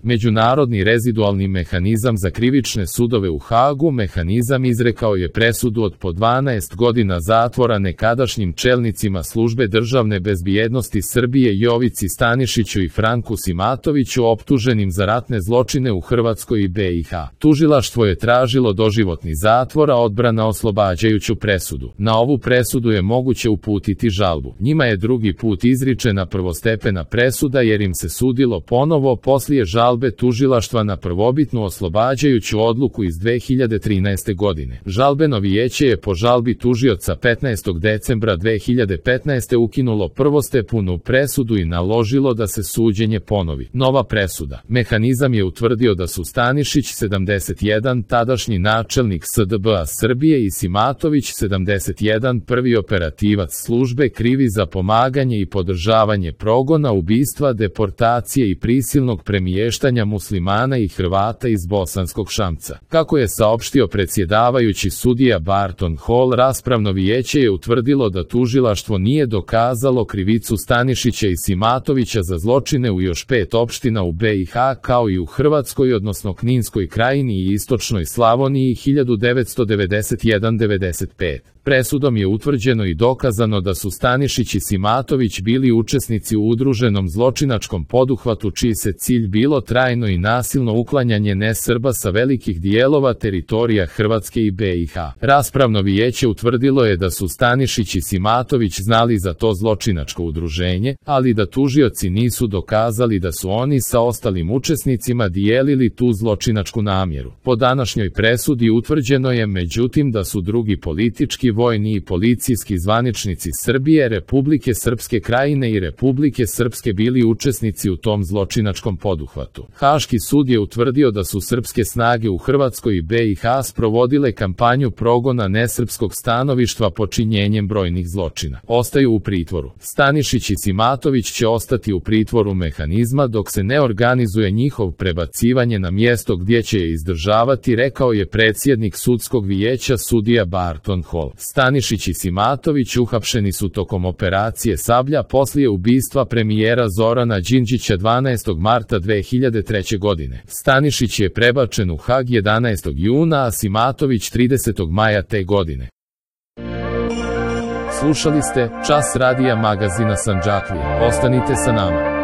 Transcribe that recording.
Međunarodni rezidualni mehanizam za krivične sudove u Hagu mehanizam izrekao je presudu od po 12 godina zatvora nekadašnjim čelnicima Službe državne bezbjednosti Srbije Jovici Stanišiću i Franku Simatoviću optuženim za ratne zločine u Hrvatskoj i BiH. Tužilaštvo je tražilo doživotni zatvor, a odbrana oslobađajuću presudu. Na ovu presudu je moguće uputiti žalbu. Njima je drugi put izričena prvostepena presuda jer im se sudilo ponovo poslije žalbe tužilaštva na prvobitnu oslobađajuću odluku iz 2013. godine. Žalbeno vijeće je po žalbi tužioca 15. decembra 2015. ukinulo prvostepenu presudu i naložilo da se suđenje ponovi. Nova presuda. Mehanizam je utvrdio da su Stanišić 71, tadašnji načelnik SDB-a Srbije, i Simatović 71, prvi operativac službe, krivi za pomaganje i podržavanje progona, ubistva, deportacije i prisilnog premještanja muslimana i Hrvata iz Bosanskog Šamca. Kako je saopštio predsjedavajući sudija Barton Hall, raspravno vijeće je utvrdilo da tužilaštvo nije dokazalo krivicu Stanišića i Simatovića za zločine u još 5 opština u BiH kao i u Hrvatskoj, odnosno Kninskoj krajini i Istočnoj Slavoniji 1991-95. Presudom je utvrđeno i dokazano da su Stanišić i Simatović bili učesnici u udruženom zločinačkom poduhvatu čiji se cilj bilo trajno i nasilno uklanjanje nesrba sa velikih dijelova teritorija Hrvatske i BiH. Raspravno vijeće utvrdilo je da su Stanišić i Simatović znali za to zločinačko udruženje, ali da tužioci nisu dokazali da su oni sa ostalim učesnicima dijelili tu zločinačku namjeru. Po današnjoj presudi utvrđeno je međutim da su drugi politički, vojni i policijski zvaničnici Srbije, Republike Srpske Krajine i Republike Srpske bili učesnici u tom zločinačkom poduhvatu. Haški sud je utvrdio da su srpske snage u Hrvatskoj i BiH sprovodile kampanju progona nesrpskog stanovištva počinjenjem brojnih zločina. Ostaju u pritvoru. Stanišić i Simatović će ostati u pritvoru mehanizma dok se ne organizuje njihov prebacivanje na mjesto gdje će je izdržavati, rekao je predsjednik sudskog vijeća sudija Barton Hall. Stanišić i Simatović uhapšeni su tokom operacije Sablja poslije ubistva premijera Zorana Đinđića 12. marta 2003. godine. Stanišić je prebačen u Hag 11. juna, a Simatović 30. maja te godine. Slušali ste Čas radija magazina Sandžaklija. Ostanite sa nama.